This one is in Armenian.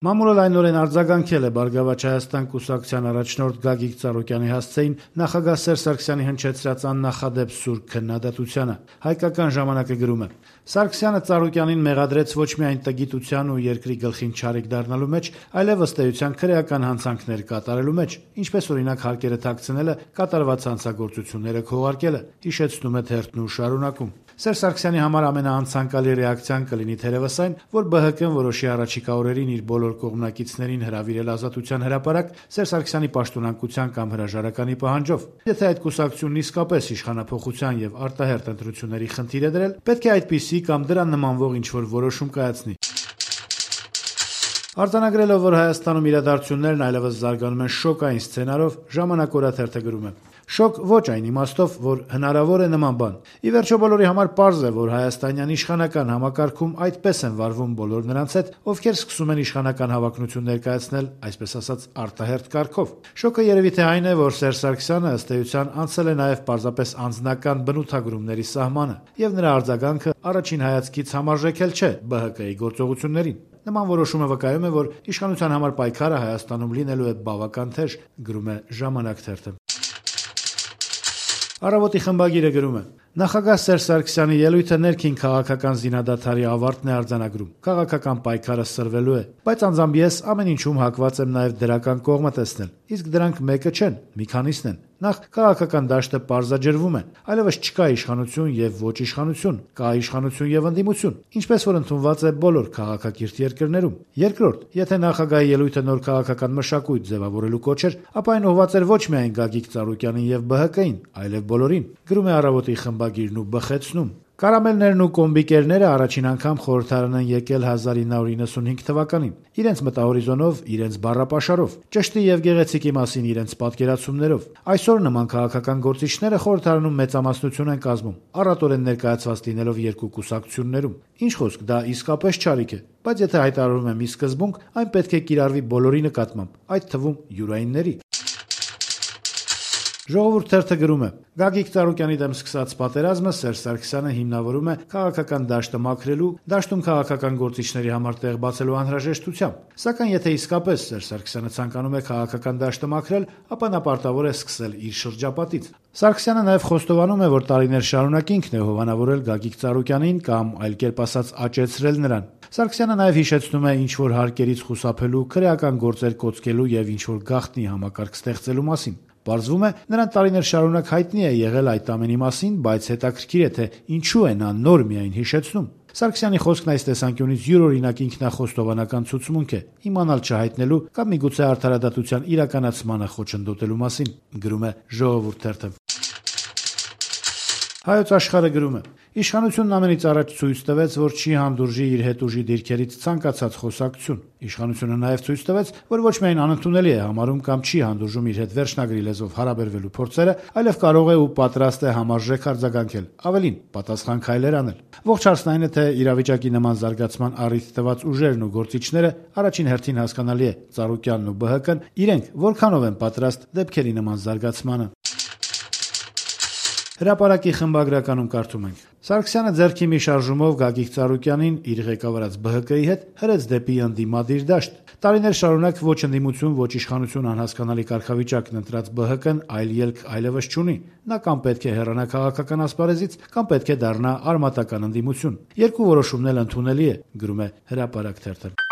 Մամուլը լայնորեն արձագանքել է Բարգավաճ Հայաստան կուսակցության առաջնորդ Գագիկ Ծառուկյանի հասցեին նախագահ Սերժ Սարգսյանի հնչեցրած աննախադեպ սուր քննադատությանը։ Հայկական ժամանակը գրում է. Սարգսյանը Ծառուկյանին մեղադրեց ոչ միայն տգիտության ու երկրի գլխին չարիք դառնալու մեջ, այլև ըստ էության քրեական հանցանքներ կատարելու մեջ, ինչպես օրինակ հարկերը թաքցնելը, կատարված հանցագործությունները քողարկելը, հիշեցնում է թերթն ու շարունակում. Սերժ Սարգսյանի համար ամենաանցանկալի ռեակցիան կլինի թերևս այն, որ ԲՀԿ-ն որոշի առաջիկա օրերին իր բոլոր կողմնակիցներին հրավիրել ազատության հրապարակ Սերժ Սարգսյանի պաշտոնանկության կամ հրաժարականի պահանջով։ Եթե այդ կուսակցությունն իսկապես իշխանափոխության եւ արտահերթ ընտրությունների խնդիր է դրել, պետք է այդպիսի կամ դրան նմանվող ինչ-որ որոշում կայացնի։ Արձանագրելով, որ Հայաստանում իրադարձություններն այլևս զարգանում են շոկային սցենարով, Ժամանակ օրաթերթը գրում է. Շոկ ոչ այն իմաստով, որ հնարավոր է նման բան։ Ի վերջո բոլորի համար պարզ է, որ հայաստանյան իշխանական համակարգում այդպես են վարվում բոլոր նրանց հետ, ովքեր սկսում են իշխանական հավակնություն ներկայացնել, այսպես ասած, արտահերթ կարգով։ Շոկը երևի թե այն է, որ Սերժ Սարգսյանը ըստ էության անցել է նաև պարզապես անձնական բնութագրումների սահմանը, եւ նրա արձագանքը առաջին հայացքից համարժեքել չէ ԲՀԿ-ի գործողություններին։ Նման որոշումը վկայում է, որ իշխանության համար պայքարը Հայաստանում լինելու է բավական թեժ, գրում է Ժամանակ թերթը։ Առավոտի խմբագիրը գրում է. Նախագահ Սերժ Սարգսյանի ելույթը ներքին քաղաքական զինադադարի ավարտն է արձանագրում։ Քաղաքական պայքարը սրվելու է, բայց անձամբ ես ամեն ինչում հակված եմ նաև դրական կողմը տեսնել։ Իսկ դրանք մեկը չեն, մի քանիսն են։ Նախ քաղաքական դաշտը պարզաջրվում է, այլևս չկա իշխանություն եւ ոչ իշխանություն, կա իշխանություն եւ ընդդիմություն, ինչպես որ ընդունված է բոլոր քաղաքակիրթ երկրներում։ Երկրորդ, եթե նախագահի ելույթը նոր քաղաքական մշակույթ ձևավորելու կոչ էր, ապա այն ուղղված էր ոչ միայն Գագիկ Ծառուկյանին եւ ԲՀԿ-ին, այլև բոլորին։ Գրում է Առավոտի խմբագիրն ու բխեցնում. Կարամելներն ու կոմբիկերները առաջին անգամ խորհրդարան են եկել 1995 թվականին, իրենց մտահորիզոնով, իրենց բառապաշարով, ճշտի եւ գեղեցիկի մասին իրենց պատկերացումներով։ Այսօր նման քաղաքական գործիչները խորհրդարանում մեծամասնություն են կազմում, առատորեն ներկայացված լինելով երկու կուսակցություններում։ Ինչ խոսք, դա իսկապես չարիք է, բայց եթե հայտարարում եմ ի սկզբունք, այն պետք է կիրառվի բոլորի նկատմամբ, այդ թվում յուրայինների։ Ժողովուրդ թերթը գրում է. Գագիկ Ծառուկյանի դեմ սկսած պատերազմը Սերժ Սարգսյանը հիմնավորում է քաղաքական դաշտը մաքրելու, դաշտում քաղաքական գործիչների համար տեղ բացելու անհրաժեշտությամբ։ Սակայն եթե իսկապես Սերժ Սարգսյանը ցանկանում է քաղաքական դաշտը մաքրել, ապա նա պարտավոր է սկսել իր շրջապատից։ Սարգսյանը նաև խոստովանում է, որ տարիներ շարունակ ինքն է հովանավորել Գագիկ Ծառուկյանին կամ այլ կերպ ասած աճեցրել նրան։ Սարգսյանը նաև հիշեցնում է ինչ-որ հարկերից խուսափելու, քրեական գործեր կոծկելու եւ ինչ-որ գաղտնի համակարգ ստեղծելու մասին։ Պարզվում է, նրան տարիներ շարունակ հայտնի է եղել այդ ամենի մասին, բայց հետաքրքիր է, թե ինչու է նա նոր միայն հիշեցնում։ Սարգսյանի խոսքն այս տեսանկյունից յուրօրինակ ինքնախոստովանական ցուցմունք է, իմանալ չհայտնելու կամ միգուցե արդարադատության իրականացմանը խոչընդոտելու մասին, գրում է Ժողովուրդ թերթը։ Հայոց Աշխարհը գրում է. Իշխանությունն ամենից առաջ ցույց տվեց, որ չի հանդուրժի իր հետ ուժի դիրքերից ցանկացած խոսակցություն։ Իշխանությունը նաև ցույց տվեց, որ ոչ միայն անընդունելի է համարում կամ չի հանդուրժում իր հետ վերջնագրի լեզվով հարաբերվելու փորձերը, այլև կարող է ու պատրաստ է համարժեք արձագանքել, ավելին, պատասխան քայլեր անել։ Ողջ հարցն այն է, թե իրավիճակի նման զարգացման առիթ տված ուժերն ու գործիչները առաջին հերթին հասկանալի է Ծառուկյանն ու ԲՀԿ-ն իրենք որքանով են պատրաստ դեպքերի նման զարգացմանը։ Հրապարակի խմբագրականում կարդում ենք. Սարգսյանը ձեռքի մի շարժումով Գագիկ Ծառուկյանին իր ղեկավարած ԲՀԿ-ի հետ հրեց դեպի ընդդիմադիր դաշտ։ Տարիներ շարունակ ոչ ընդդիմություն, ոչ իշխանություն անհասկանալի կարգավիճակն ընտրած ԲՀԿ-ն այլ ելք այլևս չունի։ Նա կամ պետք է հեռանա քաղաքական ասպարեզից, կամ պետք է դառնա արմատական ընդդիմություն։ Երկու որոշումն էլ ընդունելի է, գրում է Հրապարակ թերթը։